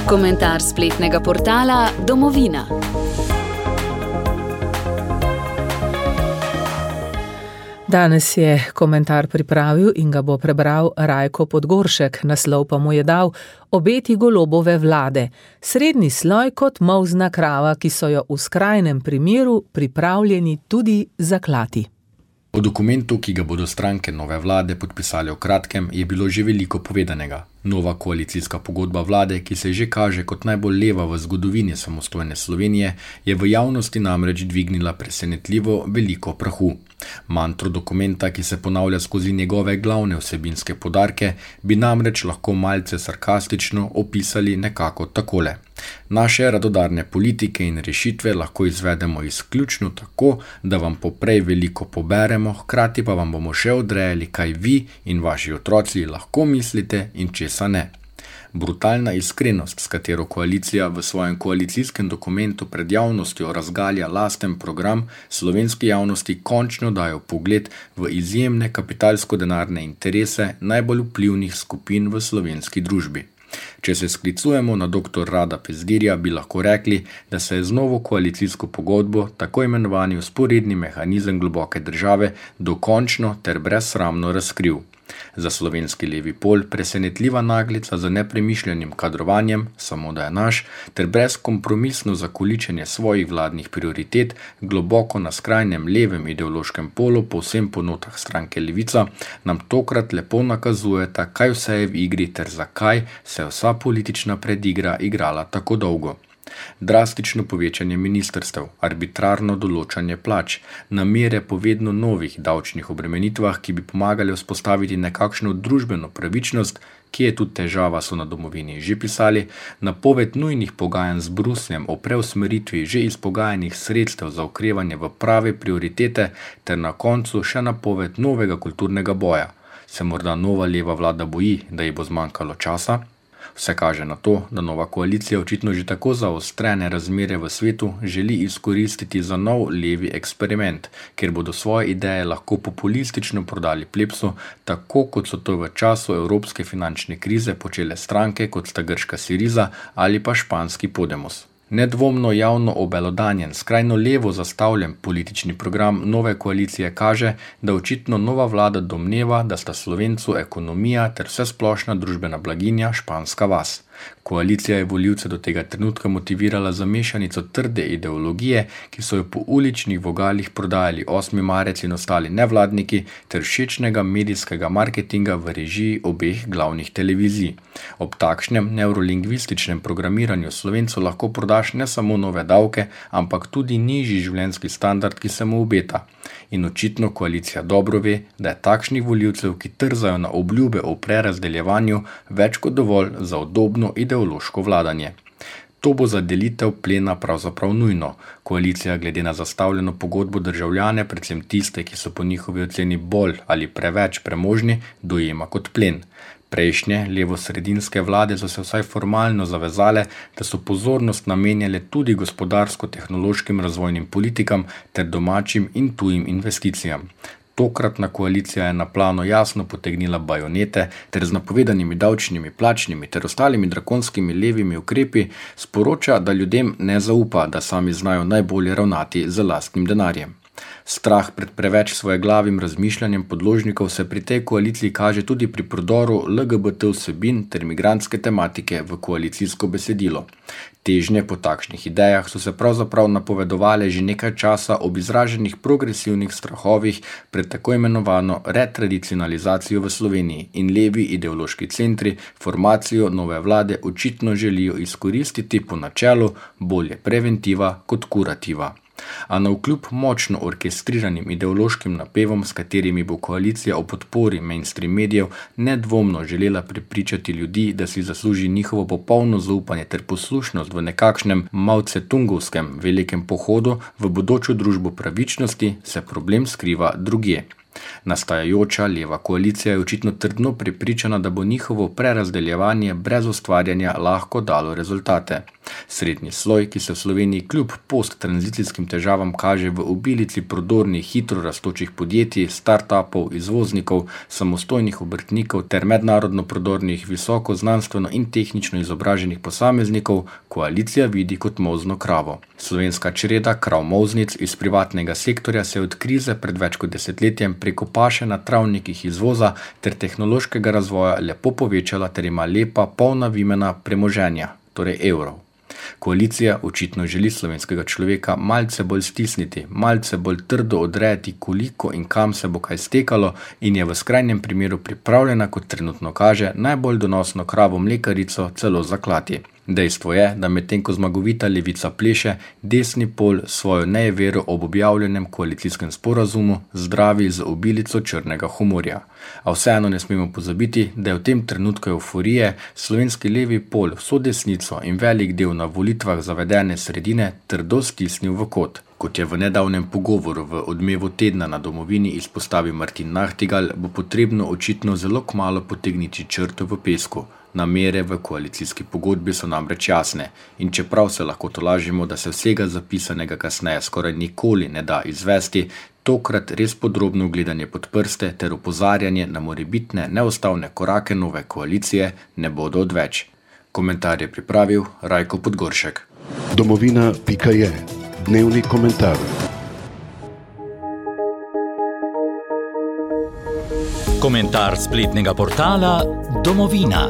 Komentar spletnega portala Domovina. Danes je komentar pripravil in ga bo prebral Rajko Podgoršek, naslov pa mu je dal Obeti Golobove vlade. Srednji sloj kot molzna krava, ki so jo v skrajnem primeru pripravljeni tudi zaklati. O dokumentu, ki ga bodo stranke nove vlade podpisali v kratkem, je bilo že veliko povedanega. Nova koalicijska pogodba vlade, ki se že kaže kot najbolj leva v zgodovini samostojne Slovenije, je v javnosti namreč dvignila presenetljivo veliko prahu. Mantro dokumenta, ki se ponavlja skozi njegove glavne vsebinske poudarke, bi namreč lahko malce sarkastično opisali nekako takole. Naše radodarne politike in rešitve lahko izvedemo izključno tako, da vam poprej veliko poberemo, hkrati pa vam bomo še odrejali, kaj vi in vaši otroci lahko mislite in česa ne. Brutalna iskrenost, s katero koalicija v svojem koalicijskem dokumentu pred javnostjo razgalja lasten program, slovenski javnosti končno dajo pogled v izjemne kapitalsko-denarne interese najbolj vplivnih skupin v slovenski družbi. Če se sklicujemo na dr. Rada Pezdirja, bi lahko rekli, da se je z novo koalicijsko pogodbo tako imenovani vzporedni mehanizem globoke države dokončno ter brezsramno razkril. Za slovenski levi pol presenetljiva naglica za nepremišljenim kadrovanjem, samo da je naš, ter brezkompromisno zakoličenje svojih vladnih prioritet globoko na skrajnem levem ideološkem polu povsem po notah stranke Levica, nam tokrat lepo nakazujeta, kaj vse je v igri ter zakaj se je vsa politična predigra igrala tako dolgo. Drastično povečanje ministrstev, arbitrarno določanje plač, namere po vedno novih davčnih obremenitvah, ki bi pomagali vzpostaviti nekakšno družbeno pravičnost, ki je tudi težava, so na Domovini že pisali, napoved nujnih pogajanj z Brusljem o preusmeritvi že izpogajanih sredstev za okrevanje v prave prioritete ter na koncu še napoved novega kulturnega boja. Se morda nova leva vlada boji, da ji bo zmanjkalo časa? Vse kaže na to, da nova koalicija očitno že tako zaostrene razmere v svetu želi izkoristiti za nov levi eksperiment, kjer bodo svoje ideje lahko populistično prodali plebsu, tako kot so to v času evropske finančne krize počele stranke kot sta grška Syriza ali pa španski Podemos. Nedvomno javno obelodanjen, skrajno levo zastavljen politični program nove koalicije kaže, da očitno nova vlada domneva, da sta Slovencu ekonomija ter vsesplošna družbena blaginja španska vas. Koalicija je volivce do tega trenutka motivirala za mešanico trde ideologije, ki so jo po uličnih vogalih prodajali 8. marec in ostali nevladniki, ter všečnega medijskega marketinga v režiji obeh glavnih televizij. Ob takšnem neurolingvističnem programiranju Slovencu lahko prodaš ne samo nove davke, ampak tudi nižji življenjski standard, ki se mu obeta. In očitno koalicija dobro ve, da je takšnih volivcev, ki trzajo na obljube o prerazdeljevanju, več kot dovolj za udobno ideološko vladanje. To bo za delitev plena pravzaprav nujno. Koalicija glede na zastavljeno pogodbo državljane, predvsem tiste, ki so po njihovi oceni bolj ali preveč premožni, dojema kot plen. Prejšnje levo-sredinske vlade so se vsaj formalno zavezale, da so pozornost namenjale tudi gospodarsko-tehnološkim razvojnim politikam ter domačim in tujim investicijam. Tokratna koalicija je na plano jasno potegnila bajonete ter z napovedanimi davčnimi, plačnimi ter ostalimi drakonskimi levimi ukrepi sporoča, da ljudem ne zaupa, da sami znajo najbolje ravnati z lastnim denarjem. Strah pred preveč svojeglavim razmišljanjem podložnikov se pri tej koaliciji kaže tudi pri prodoru LGBT vsebin ter migrantske tematike v koalicijsko besedilo. Težnje po takšnih idejah so se pravzaprav napovedovale že nekaj časa ob izraženih progresivnih strahovih pred tako imenovano retradicionalizacijo v Sloveniji in levi ideološki centri formacijo nove vlade očitno želijo izkoristiti po načelu bolje preventiva kot kurativa. A navkljub močno orkestriranim ideološkim napevom, s katerimi bo koalicija o podpori mainstream medijev nedvomno želela prepričati ljudi, da si zasluži njihovo popolno zaupanje ter poslušnost v nekakšnem mavcetungovskem velikem pohodu v bodočo družbo pravičnosti, se problem skriva drugje. Nastajajoča leva koalicija je očitno trdno prepričana, da bo njihovo prerazdeljevanje brez ustvarjanja lahko dalo rezultate. Srednji sloj, ki se v Sloveniji kljub posttranzicijskim težavam kaže v obilici prodornih, hitro rastočih podjetij, startupov, izvoznikov, samostojnih obrtnikov ter mednarodno prodornih, visoko znanstveno in tehnično izobraženih posameznikov, koalicija vidi kot molzno kravo. Slovenska čreda krav molznic iz privatnega sektorja se je od krize pred več kot desetletjem preko paše na travnikih izvoza ter tehnološkega razvoja lepo povečala ter ima lepa, polna vimena premoženja, torej evrov. Koalicija očitno želi slovenskega človeka malce bolj stisniti, malce bolj trdo odrejati, koliko in kam se bo kaj stekalo in je v skrajnem primeru pripravljena, kot trenutno kaže, najbolj donosno kravo mlekarico celo zaklati. Dejstvo je, da medtem ko zmagovita levica pleše, desni pol svojo nejevero ob objavljenem koalicijskem sporazumu zdravi z obilico črnega humorja. A vseeno ne smemo pozabiti, da je v tem trenutku euforije slovenski levi pol vso desnico in velik del na volitvah zavedene sredine trdo stisnil v kot. Kot je v nedavnem pogovoru v Odmevu tedna na Domovini izpostavil Martin Nahtigal, bo potrebno očitno zelo kmalu potegniti črto v pesku. Namere v koalicijski pogodbi so namreč jasne in čeprav se lahko tolažimo, da se vsega zapisanega kasneje skoraj nikoli ne da izvesti, tokrat res podrobno gledanje pod prste ter opozarjanje na morebitne neustavne korake nove koalicije ne bodo odveč. Komentar je pripravil Rajko Podgoršek. Domovina.je. Dnevni komentar. Komentar spletnega portala Domovina.